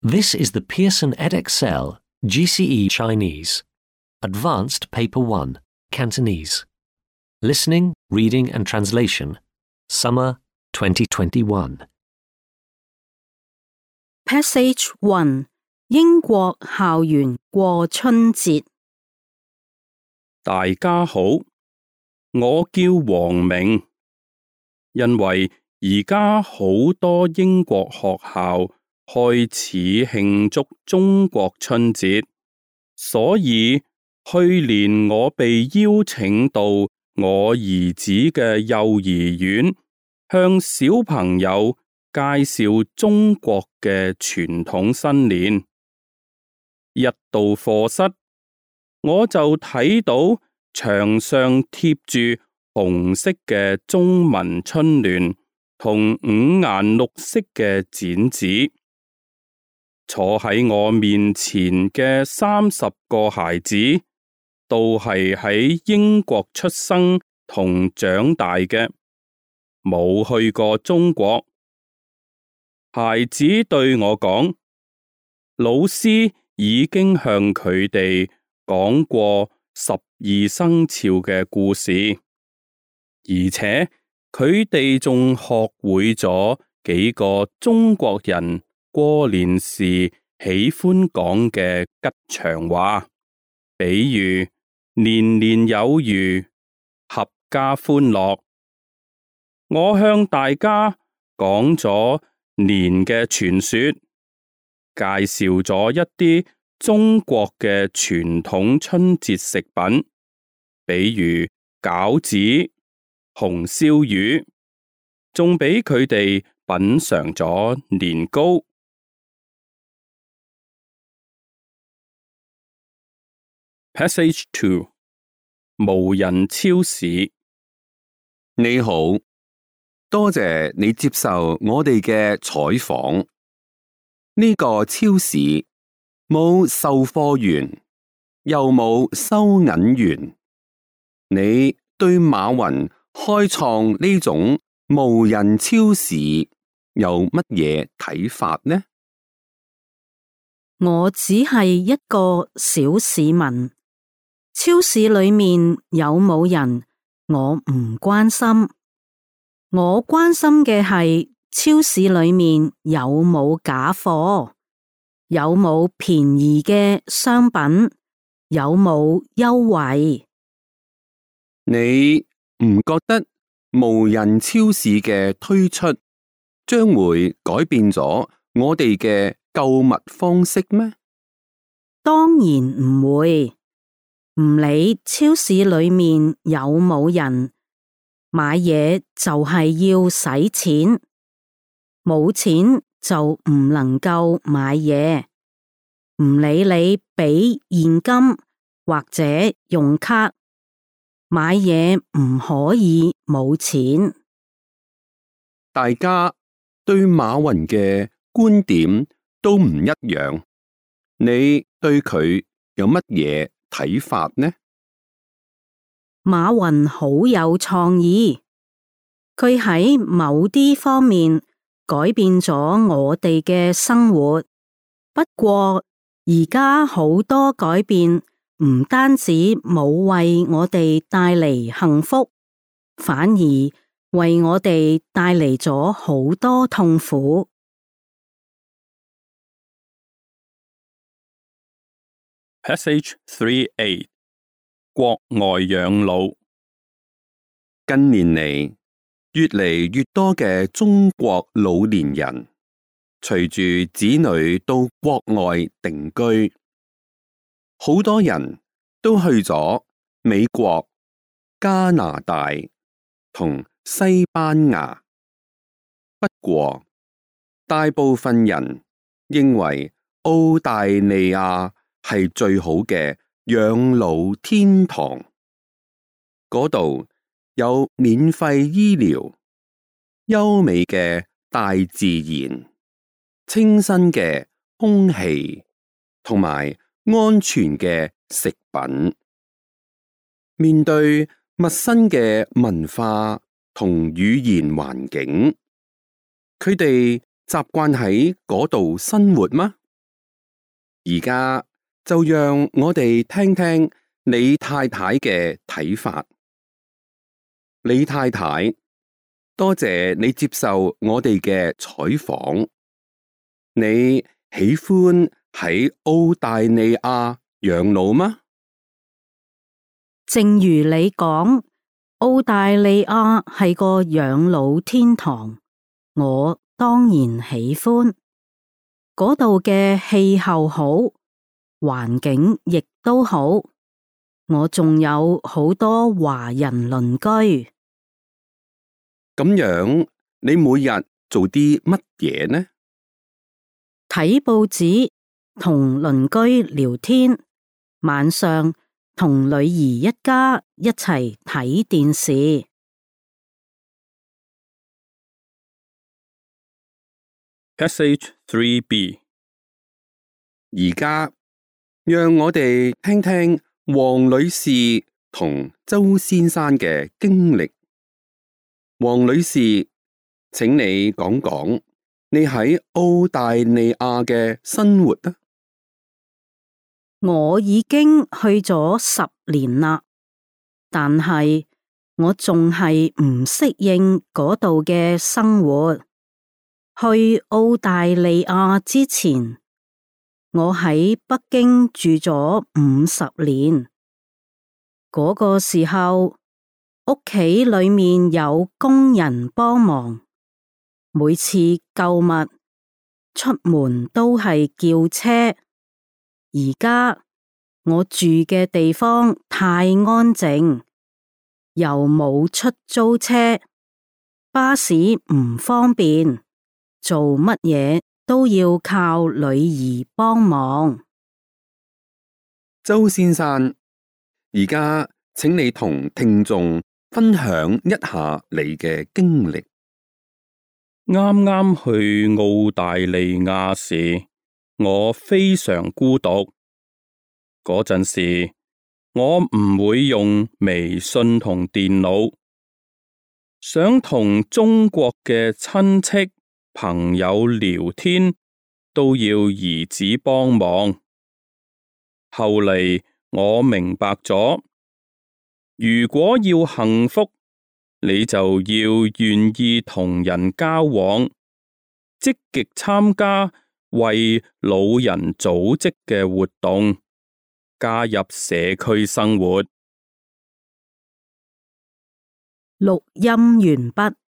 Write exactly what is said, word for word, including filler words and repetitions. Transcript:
This is the Pearson Edexcel G C E Chinese, Advanced Paper one, Cantonese. Listening, Reading and Translation, Summer twenty twenty-one. Passage one 英國校園過春節。大家好，我叫黃明。因為而家好多英國學校開始慶祝中國春節，所以去年我被邀請到我兒子嘅幼兒園，向小朋友介紹中國嘅傳統新年。一到課室，我就睇到牆上貼住紅色嘅中文春聯同五顏六色嘅剪紙。坐喺我面前嘅三十個孩子，都係喺英國出生同長大嘅，冇去過中國。孩子對我講，老師已經向佢哋講過十二生肖嘅故事，而且佢哋仲學會咗幾個中國人過年時喜歡講嘅吉祥話，比如年年有餘、合家歡樂。我向大家講咗年嘅傳說，介紹咗一啲中國嘅傳統春節食品，比如餃子、紅燒魚，仲俾佢哋品嘗咗年糕。Passage two 無人超市。你好，多謝你接受我哋嘅採訪。呢個超市冇售貨員，又冇收銀員。你對馬雲開創呢種無人超市有乜嘢睇法呢？我只係一個小市民，超市裏面有冇人，我唔關心。我關心嘅係超市裏面有冇假貨，有冇便宜嘅商品，有冇優惠。你唔覺得無人超市嘅推出將會改變咗我哋嘅購物方式咩？當然唔會，唔理超市裏面有冇人，買嘢就係要使錢，冇錢就唔能夠買嘢。唔理你俾現金或者用卡，買嘢唔可以冇錢。大家對馬雲嘅觀點都唔一樣，你對佢有乜嘢睇法呢？馬雲好有創意，佢喺某啲方面改變咗我哋嘅生活。不過而家好多改變唔單止冇為我哋帶嚟幸福，反而為我哋帶嚟咗好多痛苦。Passage three A 國外養老。近年嚟，越嚟越多嘅中國老年人隨住子女到國外定居，好多人都去咗美國、加拿大同西班牙。不過，大部分人認為澳大利亞係最好嘅養老天堂，嗰度有免費醫療、優美嘅大自然、清新嘅空氣同埋安全嘅食品。面對陌生嘅文化同語言環境，佢哋習慣喺嗰度生活嗎？而家就讓我哋聽聽李太太嘅睇法。李太太，多謝你接受我哋嘅採訪。你喜歡喺澳大利亞養老嗎？正如你講，澳大利亞係個養老天堂，我當然喜歡。嗰度嘅氣候好，環境亦都好，我仲有好多華人鄰居。咁樣，你每日做啲乜嘢呢？睇報紙，同鄰居聊天，晚上同女兒一家一齊睇電視。Passage three B。而家讓我哋聽聽黃女士同周先生嘅經歷。黃女士，請你講講你喺澳大利亞嘅生活啊。我已經去咗十年啦，但係我仲係唔適應嗰度嘅生活。去澳大利亞之前，我喺北京住咗五十年。嗰個時候，屋企裏面有工人幫忙，每次購物出門都係叫車。而家我住嘅地方太安靜，又冇出租車，巴士唔方便，做乜嘢都要靠女兒幫忙。周先生，而家請你同聽眾分享一下你嘅經歷。啱啱去澳大利亞時，我非常孤獨。嗰陣時，我唔會用微信同電腦，想同中國嘅親戚朋友聊天都要兒子幫忙。後嚟我明白咗，如果要幸福，你就要願意同人交往，積極參加為老人組織嘅活動，加入社區生活。錄音完畢。